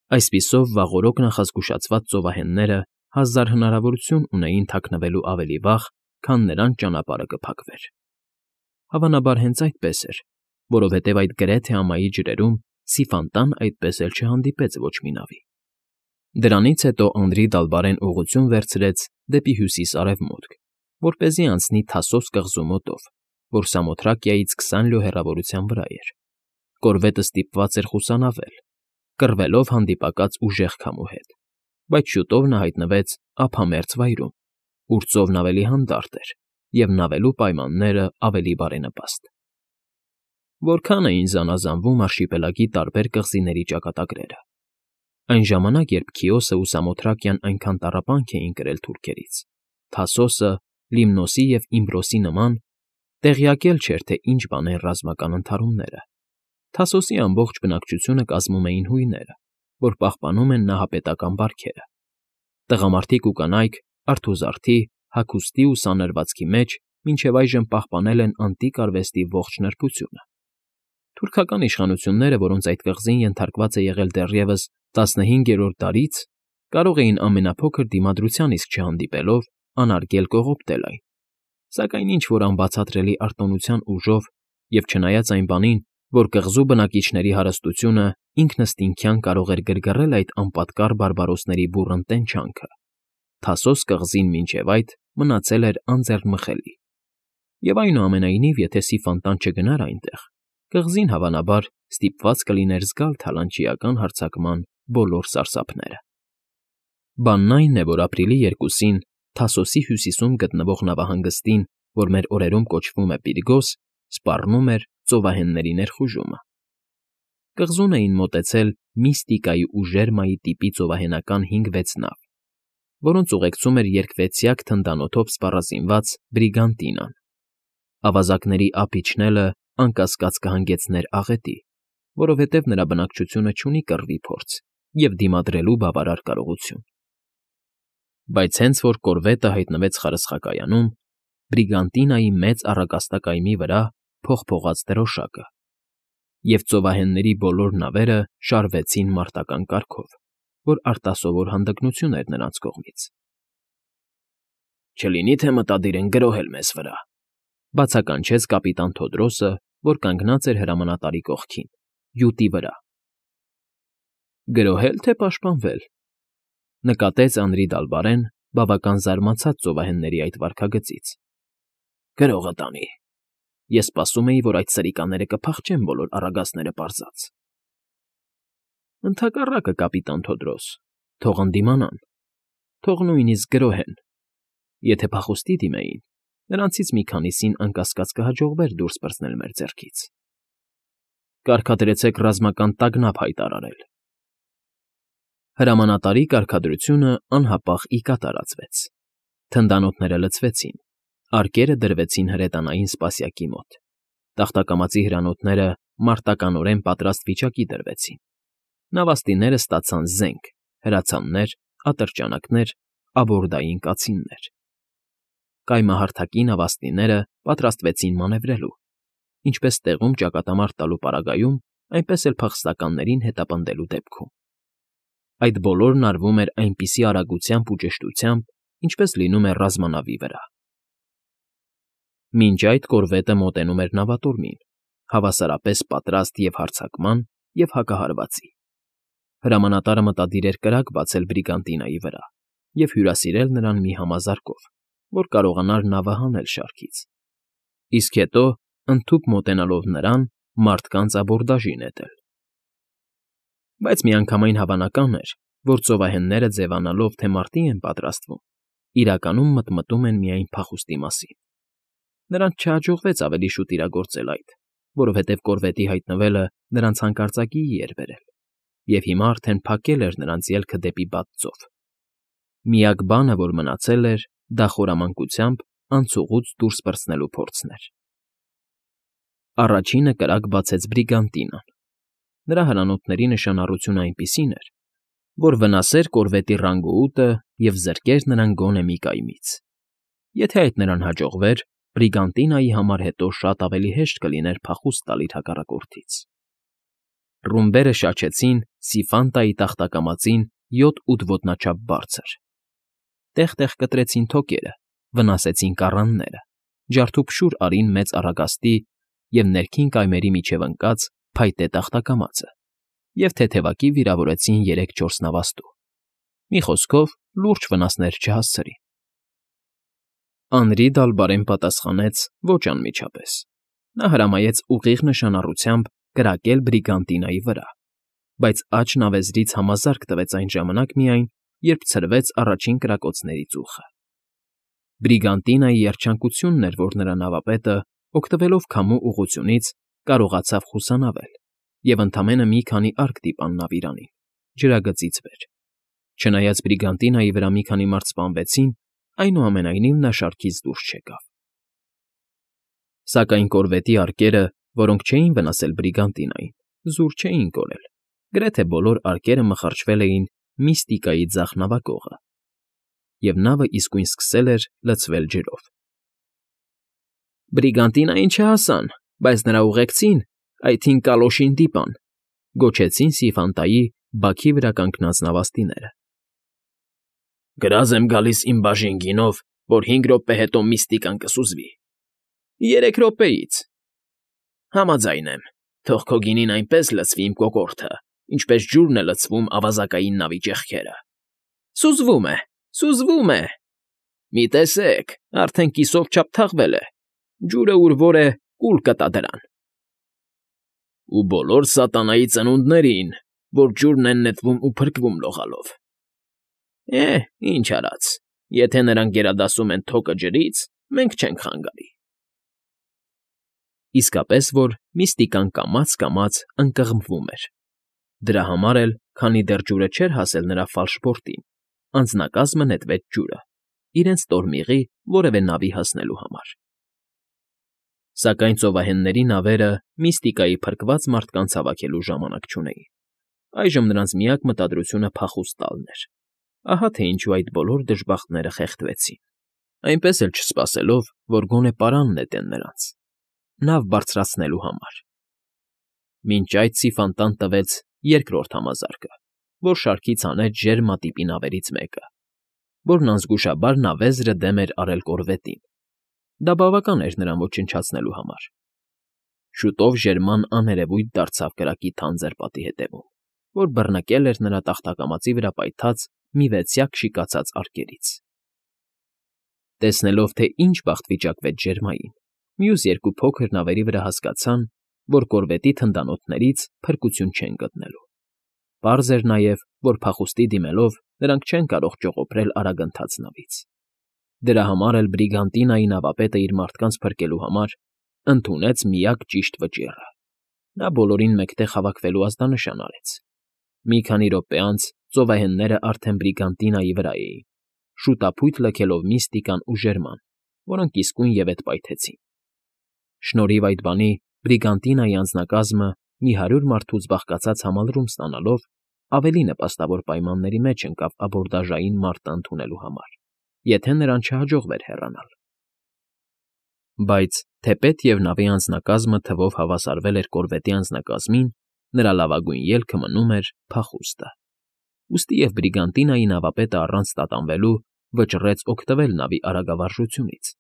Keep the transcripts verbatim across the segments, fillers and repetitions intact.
Այսպիսով վաղօրոք նախազգուշացված ծովահենները հազար հնարավորություն ունեին թաքնվելու ավելի վաղ, քան նրանց ճանապարհը կփակվեր։ Հավանաբար հենց այդպես էր, որովհետև այդ գրեթե ամայի ջրերում սիֆանտան այդպես էլ չհանդիպեց ոչ մի նավի։ Դրանից հետո Անդրի Դալբարեն ուղղություն վերցրեց դեպի հյուսիս֊արևմուտք, որպեսզի անցնի Թասոս կղզու մոտով, որ Սամոթրակիայից քսան լյո հեռավորության վրա էր։ Կորվետը ստիպված էր խուսանավել, կռվելով հանդիպակաց ուժեղ քամու հետ, բայց շուտով նա հայտնվեց ափամերձ վայրում, ուր ծովն ավելի հանդարտ էր և նավելու պայմանները ավելի բարենպաստ։ Որքան էին զանազանվում արշիպելագի տարբեր կղզիների ճակատագրերը։ Այն ժամանակ, երբ Քիոսն ու Սամոթրակիան այնքան տառապանք էին կրել թուրքերից, Թասոսը, Լիմնոսի և Իմբրոսի նման, տեղյակ էլ չէր, թե ինչ բան են ռազմական ընդհարումները։ Թասոսի ամբողջ բնակչությունը կազմում էին հույները, որ պահպանում են նահապետական բարքերը։ Տղամարդիկ ու կանայք արթուզարդի, հագուստի ու սանրվածքի մեջ մինչև այժմ պահպանել են անտիկ արվեստի ողջ նրբությունը։ Թուրքական իշխանությունները, որոնց այդ կղզին ենթարկված է եղել դեռևս տասնհինգերորդ դարից, կարող էին ամենափոքր դիմադրության իսկ չհանդիպելով անարգել կողոպտել այն, սակայն ինչ֊որ անբացատրելի արտոնության ուժով և չնայած այն բանին, որ կղզու բնակիչների հարստությունը ինքնըստինքյան կարող էր գրգռել այդ անպատկառ բարբարոսների բուռն տենչանքը, Թասոս կղզին մինչև այդ մնացել էր անձեռնմխելի։ Եվ այնուամենայնիվ, եթե Սիֆանտան չգնար այնտեղ, կղզին հավանաբար ստիպված կլիներ զգալ թալանչիական հարձակման բոլոր սարսափները։ Բանն այն է, որ ապրիլի երկուսին Թասոսի հյուսիսում գտնվող նավահանգստին, որ մեր օրերում կոչվում է Պիրգոս, սպառնում էր ծովահենների ներխուժումը։ Կղզուն էին մոտեցել Միստիկայի ու Ժերմայի տիպի ծովահենական հինգ֊վեց նավ, որոնց ուղեկցում էր երկվեցյակ թնդանոթով սպառազինված Բրիգանտինան։ Ավազակների ափ իջնելը անկասկած կհանգեցներ աղետի, որովհետև նրա բնակչությունը չունի կռվի փորձ և դիմադրելու բավարար կարողություն։ Բայց հենց որ կորվետը հայտնվեց խարսխակայանում, Բրիգանտինայի մեծ առագաստակայմի վրա փողփողաց դրոշակը, և ծովահենների բոլոր նավերը շարվեցին մարտական կարգով, որ արտասովոր հանդգնություն էր նրանց կողմից։ «Չլինի՞ թե մտադիր են գրոհել մեզ վրա,֊ բացականչեց կապիտան Թոդրոսը, որ կանգնած էր հրամանատարի կողքին, յուտի վրա։ «Գրոհել, թե պաշտպանվել,֊ նկատեց Անրի Դալբարեն, բավական զարմացած ծովահենների այդ վարքագծից։ «Գրողը տանի։ Ես սպասում էի, որ այդ սրիկաները կփախչեն բոլոր առագաստները պարզած»։ «Ընդհակառակը, կապիտան Թոդրոս, թող ընդդիմանան, թող նույնիսկ գրոհեն։ Եթե փախուստի դիմեին, նրանցից մի քանիսին, անկասկած, կհաջողվեր դուրս պրծնել մեր ձեռքից։ Կարգադրեցեք ռազմական տագնապ հայտարարել»։ Հրամանատարի կարգադրությունը անհապաղ ի կատարածվեց։ Թնդանոթները լցվեցին, արկերը դրվեցին հրետանային սպասյակի մոտ, տախտակամածի հրանոթները մարտականորեն պատրաստ վիճակի դրվեցին, նավաստիները ստացան զենք, հրացաններ, ատրճանակներ, աբորդային կացիններ։ Կայմահարթակի նավաստիները պատրաստվեցին մանևրելու, ինչպես տեղում ճակատամարտ տալու պարագայում, այնպես էլ փախստականներին հետապնդելու դեպքում։ Այդ բոլորն արվում էր այնպիսի արագությամբ ու ճշտությամբ, ինչպես լինում է ռազմանավի վրա։ Մինչ այդ կորվետը մոտենում էր նավատորմին, հավասարապես պատրաստ և՛ հարձակման, և՛ հակահարվածի։ Հրամանատարը մտադիր էր կրակ բացել Բրիգանտինայի վրա և հյուրասիրել նրան մի համազարկով, որ կարողանար նավը հանել շարքից, իսկ հետո, ընդհուպ մոտենալով նրան, մարդկանց աբորդաժի նետել։ Բայց միանգամայն հավանական էր, որ ծովահենները ձևանալով, թե մարտի են պատրաստվում, իրականում մտմտում են միայն փախուստի մասին։ Նրանց չհաջողվեց ավելի շուտ իրագործել այդ, որովհետև կորվետի հայտնվելը նրանց հանկարծակիի էր բերել, և հիմա արդեն փակել էր նրանց ելքը դեպի բաց ծով։ Միակ բանը, որ մնացել էր, դա խորամանկությամբ անցուղուց դուրս պրծնելու փորձն էր։ Առաջինը կրակ բացեց Բրիգանտինան։ Նրա հրանոթների նշանառությունը այնպիսին էր, որ վնասեր կորվետի ռանգոուտը և զրկեր նրան գոնե մի կայմից։ Եթե այդ նրան հաջողվեր, Բրիգանտինայի համար հետո շատ ավելի հեշտ կլիներ փախուստ տալ իր հակառակորդից։ Ռումբերը շաչեցին Սիֆանտայի տախտակամածին յոթ֊ութ ոտնաչափ բարձր. տեղ֊տեղ կտրեցին թոկերը, վնասեցին կառանները, ջարդուփշուր արին մեծ առագաստի և ներքին կայմերի միջև ընկած փայտե տախտակամածը և թեթևակի վիրավորեցին երեք֊չորս նավաստու, մի խոսքով լուրջ վնասներ չհասցրին։ Անրի Դալբարեն պատասխանեց ոչ անմիջապես. նա հրամայեց ուղիղ նշանառությամբ կրակել Բրիգանտինայի վրա, բայց աջ նավեզրից համազարկ տվեց այն ժամանակ միայն, երբ ցրվեց առաջին կրակոցների ծուխը։ Բրիգանտինայի երջանկությունն էր, որ նրա նավապետը, օգտվելով քամու ուղղությունից, կարողացավ խուսանավել և ընդամենը մի քանի արկ դիպան նավիրանին, ջրագծից վեր։ Չնայած Բրիգանտինայի վրա մի քանի մարդ սպանվեցին, այնուամենայնիվ նա շարքից դուրս չեկավ։ Սակայն կորվետի արկերը, որոնք չէին վնասել Բրիգանտինային, զուր չէին կորել, գրեթե բոլոր արկերը մխարչվել էին Միստիկայի ձախ նավակողը, և նավը իսկույն սկսել էր լցվել ջրով։ Բրիգանտինային չհասան, բայց նրա ուղեկցին, I թինք կալոշին դիպան, գոչեցին Սիֆանտայի բաքի վրա կանգնած նավաստիները։ Գրազ եմ գալիս իմ բաժին գինով, որ հինգ րոպե հետո Միստիկան կսուզվի։ Երեք րոպեից։ Համաձայն եմ, թող քո գինին այնպես լցվի իմ կոկորդը, ինչպես ջուրն է լցվում ավազակային նավի ճեղքերը։ Սուզվում է, սուզվում է… Մի տեսեք, արդեն կիսով չափ թաղվել է, ջուրը ուր որ է, կուլ կտա դրան։ Ու բոլոր սատանայի ծնունդներին, որ ջուրն են նետվում ու փրկվում լողալով։ Է՜, ինչ արած, եթե նրանք գերադասում են թոկը ջրից, մենք չենք խանգարի։ Իսկապես որ Միստիկան կամաց֊կամաց ընկղմվում էր։ Դրա համար էլ, քանի դեռ ջուրը չէր հասել նրա ֆալշբորտին, անձնակազմը նետվեց ջուրը, իրենց տորմիղի որևէ նավի հասնելու համար։ Սակայն ծովահենների նավերը Միստիկայի փրկված մարդկանց հավաքելու ժամանակ չունեին։ Այժմ նրանց միակ մտադրությունը փախուստ տալն էր։ Ահա թե ինչու այդ բոլոր դժբախտները խեղդվեցին, այնպես էլ չսպասելով, որ գոնե պարան նետեն նրանց, նավ բարձրացնելու համար։ Մինչ այդ Սիֆանտան տվեց երկրորդ համազարկը, որ շարքից հանեց ժերմատիպի նավերից մեկը, որն անզգուշաբար նավեզրը դեմ էր արել կորվետին։ Դա բավական էր նրան ոչնչացնելու համար։ Շուտով ժերման աներևույթ դարձավ կրակի թանձր պատի հետևում, որ բռնկել էր նրա տախտակամածի վրա պայթած մի վեցյակ շիկացած արկերից։ Տեսնելով, թե ինչ բախտ վիճակվեց ջերմային, մյուս երկու փոքր նավերի վրա հասկացան, որ կորվետի թնդանոթներից փրկություն չեն գտնելու։ Պարզ էր նաև, որ փախուստի դիմելով նրանք չեն կարող ճողոպրել արագընթաց նավից։ Դրա համար էլ Բրիգանտինայի նավապետը իր մարդկանց փրկելու համար ընդունեց միակ ճիշտ վճիռը։ Նա բոլորին մեկտեղ հավաքվելու ազդանշան արեց։ Մի քանի րոպե անց ծովահենները արդեն Բրիգանտինայի վրա էին, շուտափույթ լքելով Միստիկան ու Ժերման, որոնք իսկույն ևեթ պայթեցին։ Շնորհիվ այդ բանի Բրիգանտինայի անձնակազմը մի հարյուր մարդուց բաղկացած համալրում ստանալով ավելի նպաստավոր պայմանների մեջ ընկավ աբորդաժային մարտը ընդունելու համար, եթե նրան չհաջողվեր հեռանալ։ Բայց թեպետ և նավի անձնակազմը թվով հավասարվել էր կորվետի անձնակազմին, նրա լավագույն ելքը մնում էր փախուստը։ Ուստի և Բրիգանտինայի նավապետը առանց տատանվելու վճռեց օգտվել նավի արագավարժությունից,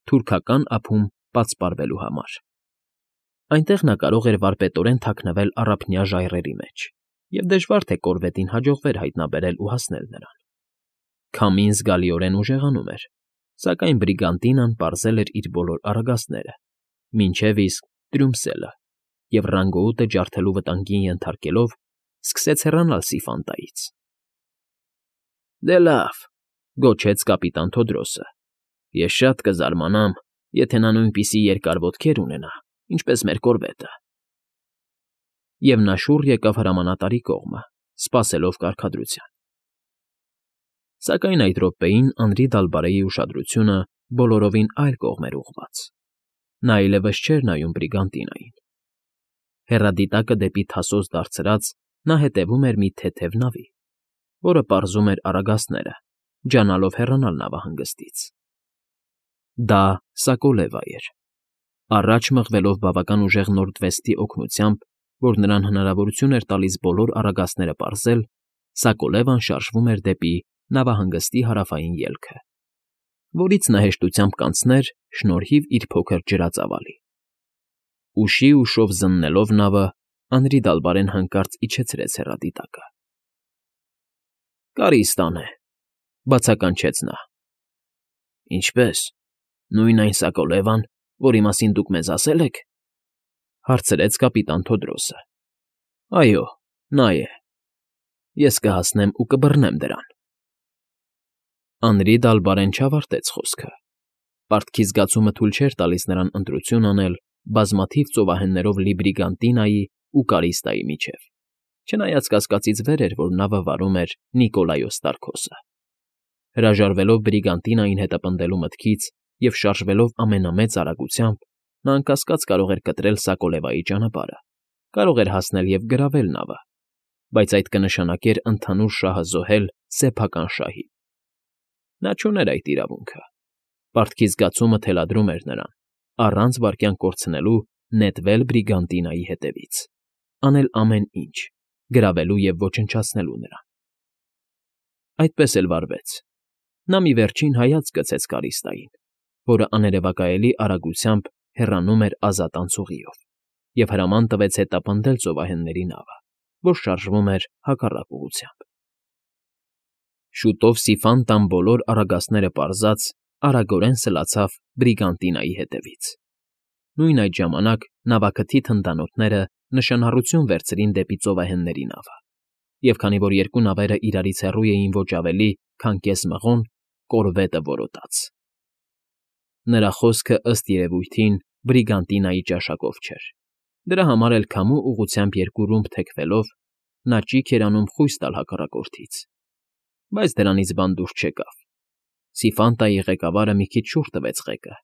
թուրքական ափում պատսպարվելու համար։ Այնտեղ նա կարող էր վարպետորեն թաքնվել առափնյա ժայռերի մեջ, և դժվար թե կորվետին հաջողվեր հայտնաբերել ու հասնել նրան։ Քամին զգալիորեն ուժեղանում էր, սակայն Բրիգանտինան պարզել էր իր բոլոր արագածները, մինչև իսկ Տրյումսելը, և ռանգոուտը ջարդելու վտանգին ենթարկելով, սկսեց հեռանալ Սիֆանտայից։ Դե լավ,֊ գոչեց կապիտան Թոդրոսը,֊ ես շատ կզարմանամ, եթե նա նույնպիսի երկար ոտքեր ունենա, ինչպես մեր կորվետը։ Եվ նա շուռ եկավ հրամանատարի կողմը, սպասելով կարգադրության։ Սակայն այդ րոպեին Անրի Դալբարեի ուշադրությունը բոլորովին այլ կողմ էր ուղղված։ Նա այլևս չէր նայում Բրիգանտինային։ Հեռադիտակը դեպի թասոց դարձրած՝ նա հետևում էր մի թեթև նավի, որը պարզում էր արագածները, ջանալով հեռանալ նավահանգստից։ Դա Սակոլևա էր։ Առաջ մղվելով բավական ուժեղ Նորդվեստի օգնությամբ՝ որ նրան հնարավորություն էր տալիս բոլոր առագաստները պարզել, Սակոլևան շարժվում էր դեպի նավահանգստի հարավային ելքը, որից նա հեշտությամբ կանցներ շնորհիվ իր փոքր ջրածավալի։ Ուշի ուշով զննելով նավը, Անրի դալբարեն հանկարծ իջեցրեց հեռադիտակը։ «Կարի ստան է,֊ բացականչեց նա։ «Ինչպե՞ս, նույն այն Սակոլևան, որի մասին դուք մեզ ասել եք,֊ հարցրեց կապիտան Թոդրոսը։ «Այո, նա է։ Ես կհասնեմ ու կբռնեմ դրան»։ Անրի Դալբարեն չավարտեց խոսքը։ Պարտքի զգացումը թույլ չէր տալիս նրան ընտրություն անել բազմաթիվ ծովահեններով լի Բրիգանտինայի ու Կարիստայի միջև, չնայած կասկածից վեր էր, որ նավը վարում էր Նիկոլայոս Տարկոսը։ Հրաժարվելով Բրիգանտինային հետապնդելու մտքից և շարժվելով ամենամեծ արագությամբ, նա անկասկած կարող էր կտրել Սակոլևայի ճանապարհը, կարող էր հասնել և գրավել նավը, բայց այդ կնշանակեր ընդհանուր շահը զոհել սեփական շահին։ Նա չուներ այդ իրավունքը։ Պարտքի զգացումը թելադրում էր նրան, առանց վայրկյան կորցնելու նետվել Բրիգանտինայի հետևից, անել ամեն ինչ՝ գրավելու և ոչնչացնելու նրան։ Այդպես էլ վարվեց։ Նա մի վերջին հայացք գցեց Կարիստային, որը աներևակայելի արագությամբ հեռանում էր ազատ անցուղիով, և հրաման տվեց հետապնդել ծովահենների նավը, որ շարժվում էր հակառակ ուղղությամբ։ Շուտով Սիֆանտան բոլոր առագաստները պարզած արագորեն սլացավ Բրիգանտինայի հետևից։ Նույն այդ ժամանակ նավաքթի թնդանոթները նշանառություն վերցրին դեպի ծովահենների նավը, և քանի որ երկու նավերը իրարից հեռու էին ոչ ավելի, քան կես մղոն, կորվետը որոտաց։ Նրա խոսքը, ըստ երևույթին, Բրիգանտինայի ճաշակով չէր։ Դրա համար էլ քամու ուղղությամբ երկու ռումբ թեքվելով՝ նա ճիգ էր անում խույս տալ հակառակորդից։ Բայց դրանից բան դուրս չեկավ։ Սիֆանտայի ղեկավարը մի քիչ շուռ տվեց ղեկը,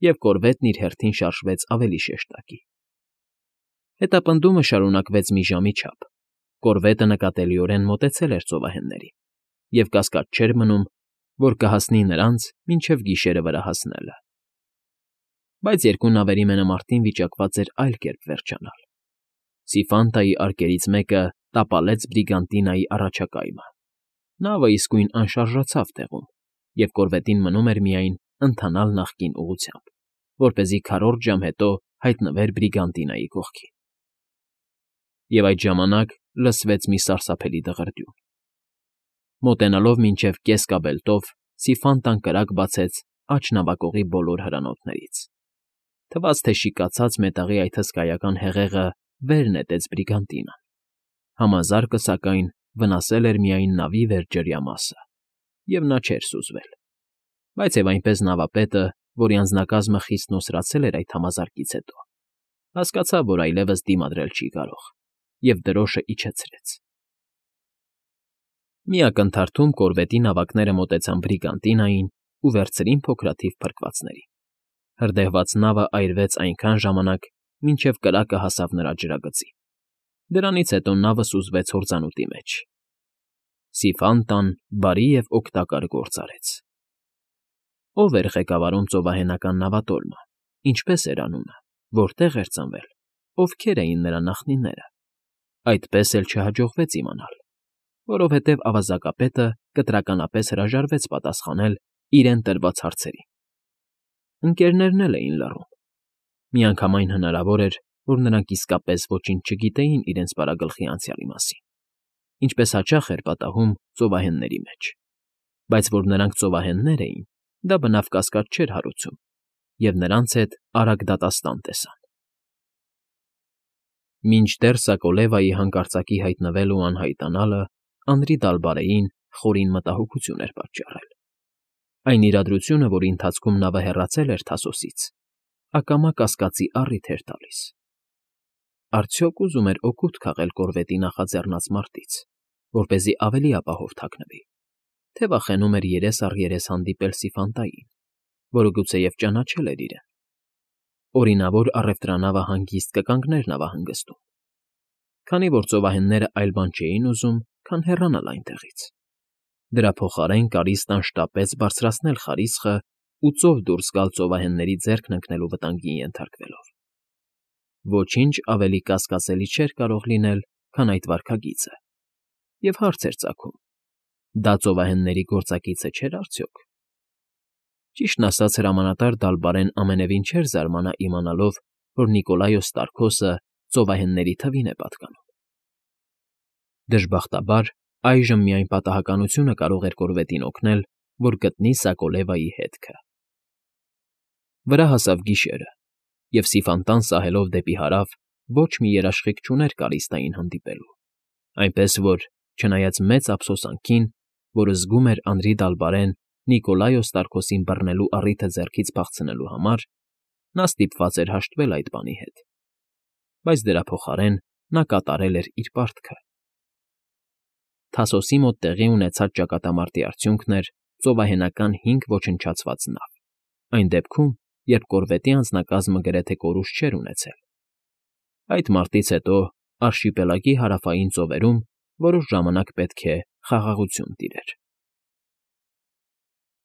և կորվետն իր հերթին շարժվեց ավելի շեշտակի։ Հետապնդումը շարունակվեց մի ժամի չափ։ Կորվետը նկատելիորեն մոտեցել էր ծովահեններին, և կասկած չէր մնում, որ կհասնի նրանց մինչև գիշերը վրա հասնելը։ Բայց երկու նավերի մենամարտին վիճակված էր այլ կերպ վերջանալ։ Սիֆանտայի արկերից մեկը տապալեց Բրիգանտինայի առաջակայմը։ Նավը իսկույն անշարժացավ տեղում, և կորվետին մնում էր միայն ընթանալ նախկին ուղղությամբ, որպեսզի քառորդ ժամ հետո հայտնվեր Բրիգանտինայի կողքին։ Եվ այդ ժամանակ լսվեց մի սարսափելի դղրդյուն։ Մոտենալով մինչև կես կաբելտով, Սիֆանտան կրակ բացեց աջ նավակողի բոլոր հրանոթներից։ Թվաց, թե շիկացած մետաղի այդ հսկայական հեղեղը վեր նետեց Բրիգանտինան։ Համազարկը, սակայն, վնասել էր միայն նավի վերջջրյա մասը, և նա չէր սուզվել։ Բայց և այնպես նավապետը, որի անձնակազմը խիստ նոսրացել էր այդ համազարկից հետո, հասկացավ, որ այլևս դիմադրել չի կարող, և դրոշը իջեցրեց։ Մի ակնթարթում կորվետի նավակները մոտեցան Բրիգանտինային ու վերցրին փոքրաթիվ փրկվածներին։ Հրդեհված նավը այրվեց այնքան ժամանակ, մինչև կրակը հասավ նրա ջրագծին։ Դրանից հետո նավը սուզվեց հորձանուտի մեջ։ Սիֆանտան բարի և օգտակար գործ արեց։ Ո՞վ էր ղեկավարում ծովահենական նավատորմը, ինչպե՞ս էր անունը, որտեղ էր ծնվել, ովքեր էին նրա նախնիները։ Այդպես էլ չհաջողվեց իմանալ, որովհետև ավազակապետը կտրականապես հրաժարվեց պատասխանել իրեն տրված հարցերին։ Ընկերներն էլ էին լռում։ Միանգամայն հնարավոր էր, որ նրանք իսկապես ոչինչ չգիտեին իրենց պարագլխի անցյալի մասին, ինչպես հաճախ էր պատահում ծովահենների մեջ, բայց որ նրանք ծովահեններ էին, դա բնավ կասկած չէր հարուցում, և նրանց հետ արագ դատաստան տեսան։ Մինչդեռ Սակոլևայի հանկարծակի հայտնվելն ու անհայտանալը Անրի Դալբարեին խորին մտահոգություն էր պատճառել։ Այն իրադրությունը, որի ընթացքում նավը հեռացել էր Թասոսից, ակամա կասկածի առիթ էր տալիս։ Արդյոք ուզում էր օգուտ քաղել կորվետի նախաձեռնած մարտից, որպեսզի ավելի ապահով թաքնվի, թե վախենում էր երես առ երես հանդիպել Սիֆանտային, որը գուցեև ճանաչել էր իրեն։ Օրինավոր առևտրանավը հանգիստ կկանգներ նավահանգստում, քանի որ ծովահենները այլ բան չէին ուզում, քան հեռանալ այնտեղից։ Դրա փոխարեն Կարիստան շտապեց բարձրացնել խարիսխը ու ծով դուրս գալ ծովահենների ձեռքն ընկնելու վտանգին ենթարկվելով։ Ոչինչ ավելի կասկածելի չէր կարող լինել, քան այդ վարքագիծը, և հարց էր ծագում. դա ծովահենների գործակիցը չէր արդյոք։ Ճիշտն ասած, հրամանատար Դալբարեն ամենևին չէր զարմանա իմանալով, որ Նիկոլայոս Տարքոսը ծովահենների թվին է պատկանում։ Դժբախտաբար, այժմ միայն պատահականությունը կարող էր կորվետին օգնել, որ գտնի Սակոլևայի հետքը։ Վրա հասավ գիշերը, և սիֆանտան սահելով դեպի հարավ ոչ մի երաշխիք չուներ Կարիստային հանդիպելու, այնպես որ, չնայած մեծ ափսոսանքին, որը զգում էր Անդրի Դալբարեն Նիկոլայոս Տարքոսին բռնելու առիթը ձեռքից փախցնելու համար, նա ստիպված էր հաշտվել այդ բանի հետ, բայց դրա փոխարեն նա կատարել էր իր պարտքը։ Թասոսի մոտ տեղի ունեցած ճակատամարտի արդյունքն էր ծովահենական հինգ ոչնչացված նավ, այն դեպքում, երբ կորվետի անձնակազմը գրեթե կորուստ չէր ունեցել։ Այդ մարտից հետո արշիպելագի հարավային ծովերում որոշ ժամանակ պետք է խաղաղություն տիրեր։